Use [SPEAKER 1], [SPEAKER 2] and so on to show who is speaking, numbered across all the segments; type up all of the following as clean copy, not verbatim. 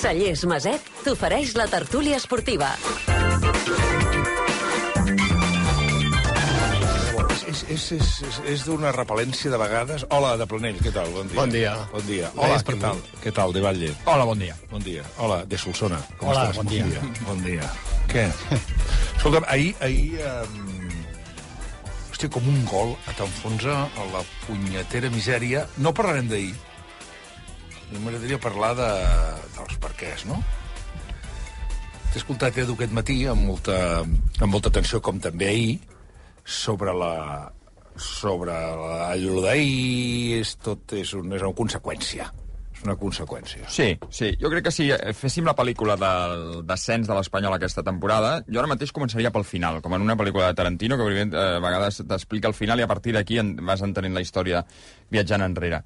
[SPEAKER 1] Cellers Maset t'ofereix la tertúlia esportiva.
[SPEAKER 2] És d'una repel·lència de vegades. Hola, de Planell, què tal? Bon dia.
[SPEAKER 3] Bon dia.
[SPEAKER 2] Bon dia. Hola, què tal? Què tal, de Batlle?
[SPEAKER 3] Hola, bon dia.
[SPEAKER 2] Bon dia. Hola, de Solsona. Com
[SPEAKER 3] Hola,
[SPEAKER 2] estàs?
[SPEAKER 3] bon dia.
[SPEAKER 2] Bon dia. Què? Escolta'm, ahir hòstia, com un gol t'enfonsa a la punyetera misèria. No parlarem d'ahir. M'agradaria parlar dels perquès, no? T'he escoltat, Edu, aquest matí amb molta atenció, com també ahir, sobre allò d'ahir, tot és una conseqüència. És una conseqüència.
[SPEAKER 3] Sí. Jo crec que si féssim la pel·lícula del descens de l'Espanyol aquesta temporada, jo ara mateix començaria pel final, com en una pel·lícula de Tarantino, que a vegades t'explica el final i a partir d'aquí vas entenent la història viatjant enrere.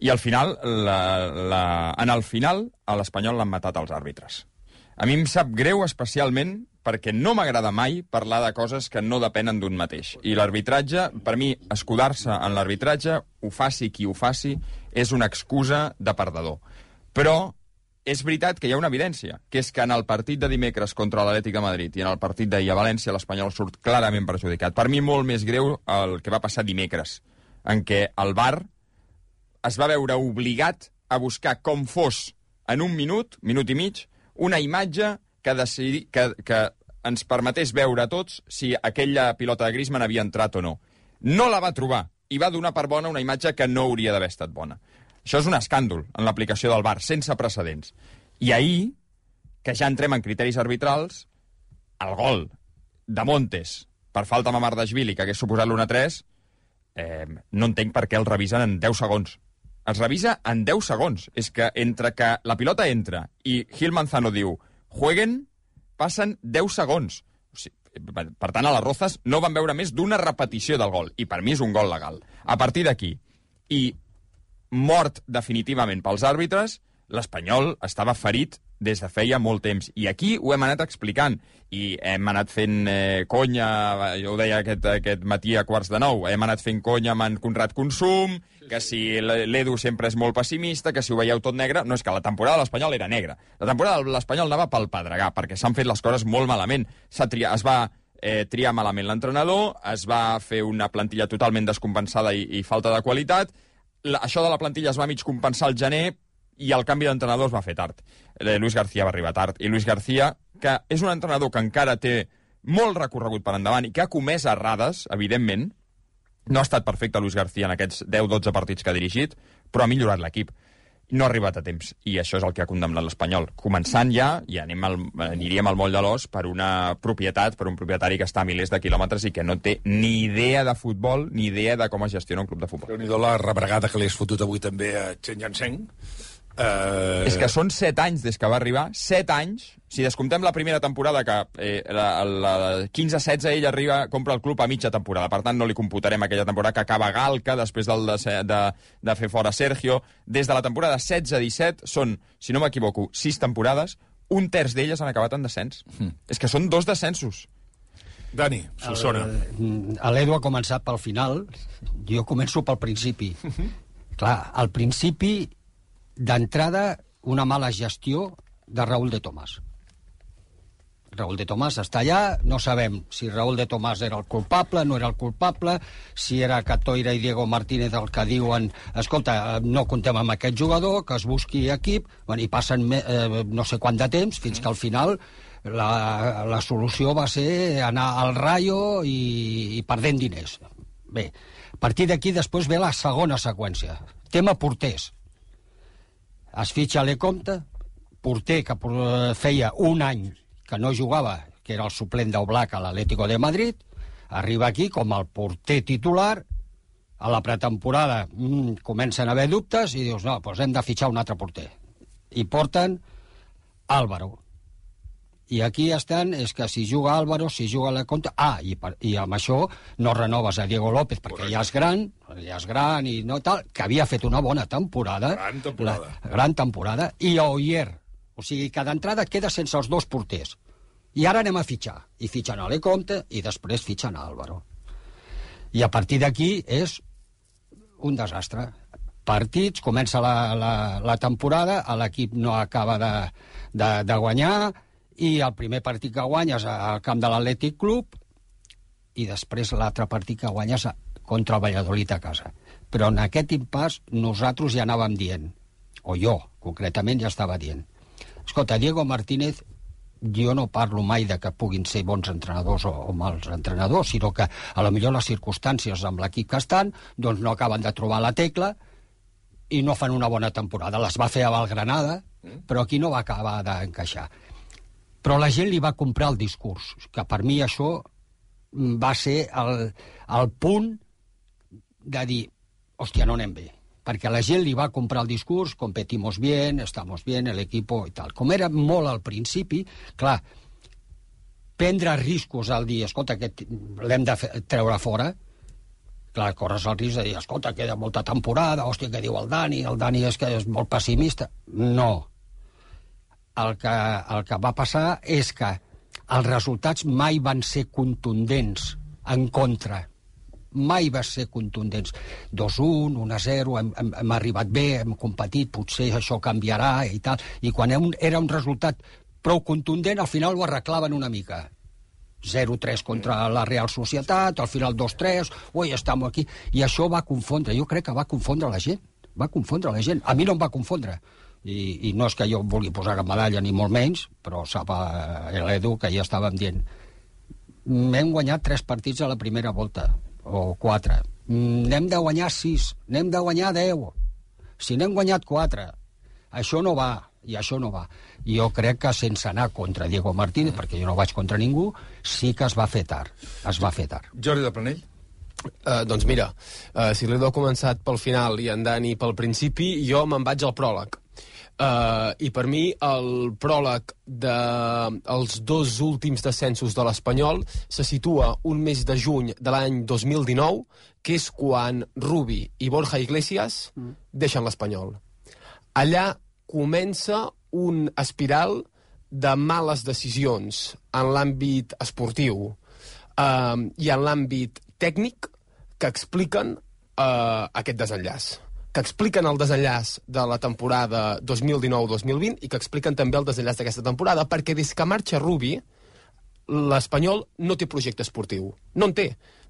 [SPEAKER 3] I al final, en el final, a l'Espanyol l'han matat els àrbitres. A mi em sap greu especialment perquè no m'agrada mai parlar de coses que no depenen d'un mateix. I l'arbitratge, per mi, escudar-se en l'arbitratge, ho faci qui ho faci, és una excusa de perdedor. Però és veritat que hi ha una evidència, que és que en el partit de dimecres contra l'Atlètic de Madrid i en el partit d'ahir a València l'Espanyol surt clarament perjudicat. Per mi molt més greu el que va passar dimecres, en què el VAR es va veure obligat a buscar com fos en un minut i mig, una imatge que ens permetés veure a tots si aquella pilota de Griezmann havia entrat o no. No la va trobar i va donar per bona una imatge que no hauria d'haver estat bona. Això és un escàndol en l'aplicació del VAR, sense precedents. I ahir, que ja entrem en criteris arbitrals, el gol de Montes per falta a Mamardashvili, que hagués suposat l'1-3, no entenc per què el revisen en 10 segons. Es revisa en 10 segons. És que entre que la pilota entra i Gil Manzano diu jueguen, passen 10 segons. O sigui, per tant, a les Rozas no van veure més d'una repetició del gol. I per mi és un gol legal. A partir d'aquí, i mort definitivament pels àrbitres, l'Espanyol estava ferit des de feia molt temps. I aquí ho hem anat explicant. I hem anat fent conya, jo ho deia aquest matí a 8:45, hem anat fent conya amb en Conrad Consum, que si l'Edu sempre és molt pessimista, que si ho veieu tot negre. No, és que la temporada de l'Espanyol era negra. La temporada de l'Espanyol anava pel pedregar, perquè s'han fet les coses molt malament. Es va triar malament l'entrenador, es va fer una plantilla totalment descompensada i falta de qualitat. Això de la plantilla es va mig compensar al gener, i el canvi d'entrenador es va fer tard. Luis García va arribar tard. I Luis García, que és un entrenador que encara té molt recorregut per endavant i que ha comès errades, evidentment, no ha estat perfecte Luis García en aquests 10-12 partits que ha dirigit, però ha millorat l'equip. No ha arribat a temps, i això és el que ha condemnat l'Espanyol. Començant ja, i aniríem al moll de l'os per una propietat, per un propietari que està a milers de quilòmetres i que no té ni idea de futbol, ni idea de com es gestiona un club de futbol.
[SPEAKER 2] Déu-n'hi-do la rebregada que li has fotut avui també a Chen Yanseng.
[SPEAKER 3] És que són 7 anys des que va arribar, 7 anys. Si descomptem la primera temporada, que la 15-16 ell compra el club a mitja temporada, per tant no li computarem aquella temporada que acaba Galca després de fer fora Sergio. Des de la temporada 16-17 són, si no m'equivoco, 6 temporades, un terç d'elles han acabat en descens. És que són 2 descensos.
[SPEAKER 2] Dani, Solsona.
[SPEAKER 4] L'Edu ha començat pel final, jo començo pel principi. Clar, al principi, d'entrada, una mala gestió de Raúl de Tomàs. Raúl de Tomàs està allà, no sabem si Raúl de Tomàs era el culpable, no era el culpable, si era Catoira i Diego Martínez el que diuen escolta, no comptem amb aquest jugador, que es busqui equip, i passen no sé quant de temps, fins que al final la solució va ser anar al Rayo i perdent diners. Bé, a partir d'aquí després ve la segona seqüència. Tema porters. Es fitxa Lecomte, porter que feia un any que no jugava, que era el suplent d'Oblak a l'Atlético de Madrid, arriba aquí com el porter titular, a la pretemporada comencen a haver dubtes i dius, no, doncs hem de fitxar un altre porter. I porten Álvaro. I aquí estan, és que si juga Álvaro, si juga Lecomte... i amb això no renoves a Diego López, perquè ja és gran i no tal, que havia fet una bona temporada. Gran temporada. I Oyer. O sigui que d'entrada queda sense els 2 porters. I ara anem a fitxar. I fitxen a Lecomte i després fitxen a Álvaro. I a partir d'aquí és un desastre. partits, comença la temporada, l'equip no acaba de guanyar, i el primer partit que guanyes al camp de l'Atlètic Club, i després l'altre partit que guanyes contra el Valladolid a casa. Però en aquest impàs nosaltres ja anàvem dient, o jo, concretament, ja estava dient, escolta, Diego Martínez, jo no parlo mai de que puguin ser bons entrenadors o mals entrenadors, sinó que a lo millor les circumstàncies amb l'equip que estan doncs no acaben de trobar la tecla i no fan una bona temporada. Les va fer a Valgranada, però aquí no va acabar d'encaixar. Però la gent li va comprar el discurs, que per mi això va ser el punt de dir, hòstia, no anem bé. Perquè la gent li va comprar el discurs, competimos bien, estamos bien, el equipo i tal. Com era molt al principi, clar, prendre riscos al dir, escolta, l'hem de treure fora, clar, corres el risc de dir, escolta, queda molta temporada, hòstia, què diu el Dani és que és molt pessimista. No. El que va passar és que els resultats mai van ser contundents en contra. Mai va ser contundents. 2-1, 1-0, hem arribat bé, hem competit, potser això canviarà i tal. I quan era un resultat prou contundent, al final ho arreglaven una mica. 0-3 contra la Real Societat, al final 2-3, ui, estem aquí. I això va confondre, jo crec que va confondre la gent. Va confondre la gent. A mi no em va confondre. I no és que jo vulgui posar cap medalla, ni molt menys, però sap l'Edu que ja estàvem dient. Hem guanyat 3 partits a la primera volta, o 4. N'hem de guanyar 6, n'hem de guanyar 10. Si n'hem guanyat 4, això no va, i això no va. I jo crec que sense anar contra Diego Martínez, perquè jo no vaig contra ningú, sí que es va fer tard. Es va fer tard.
[SPEAKER 2] Jordi de Planell?
[SPEAKER 5] Doncs mira, si l'Edu ha començat pel final i en Dani pel principi, jo me'n vaig al pròleg. I per mi el pròleg dels 2 últims descensos de l'Espanyol se situa un mes de juny de l'any 2019, que és quan Rubi i Borja Iglesias deixen l'Espanyol. Allà comença un espiral de males decisions en l'àmbit esportiu i en l'àmbit tècnic que expliquen aquest desenllaç. Que expliquen el desenllaç de la temporada 2019-2020 i que expliquen també el desenllaç d'aquesta temporada, perquè des que marxa Rubi, l'Espanyol no té projecte esportiu. No en té.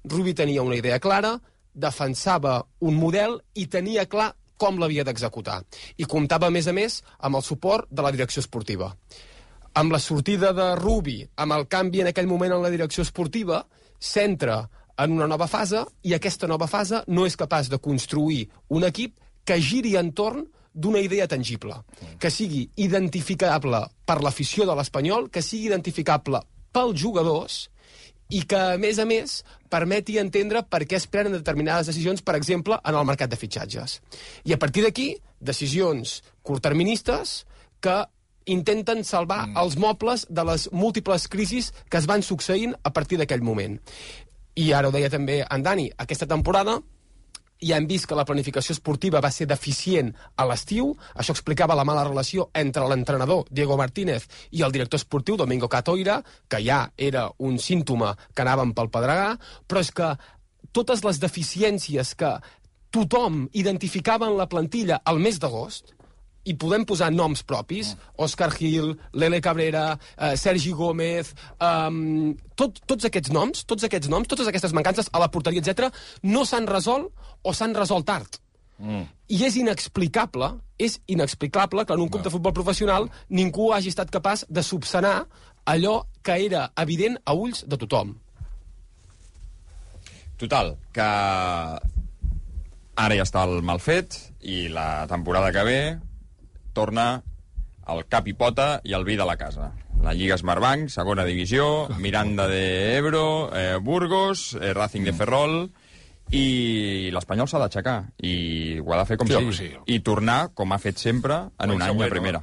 [SPEAKER 5] Rubi tenia una idea clara, defensava un model i tenia clar com l'havia d'executar. I comptava, a més, amb el suport de la direcció esportiva. Amb la sortida de Rubi, amb el canvi en aquell moment en la direcció esportiva, s'entra en una nova fase, i aquesta nova fase no és capaç de construir un equip que giri entorn d'una idea tangible, que sigui identificable per l'afició de l'Espanyol, que sigui identificable pels jugadors i que, a més, permeti entendre per què es prenen determinades decisions, per exemple, en el mercat de fitxatges. I a partir d'aquí, decisions curtterministes que intenten salvar els mobles de les múltiples crisis que es van succeint a partir d'aquell moment. I ara ho deia també en Dani, aquesta temporada ja hem vist que la planificació esportiva va ser deficient a l'estiu, això explicava la mala relació entre l'entrenador Diego Martínez i el director esportiu Domingo Catoira, que ja era un símptoma que anàvem pel pedregar, però és que totes les deficiències que tothom identificava en la plantilla al mes d'agost, i podem posar noms propis, Òscar Gil, Lele Cabrera, Sergi Gómez, tots aquests noms, totes aquestes mancances a la porteria, etc., no s'han resolt o s'han resolt tard. I és inexplicable que en un club de futbol professional ningú hagi estat capaç de subsanar allò que era evident a ulls de tothom.
[SPEAKER 3] Total, que ara ja està el mal fet i la temporada que ve torna el cap i pota i el vi de la casa. La Lliga Smartbank, segona divisió, Miranda de Ebro, Burgos, Racing de Ferrol, i l'Espanyol s'ha d'aixecar, i ho ha de fer com sigui, i tornar, com ha fet sempre, en un any a primera.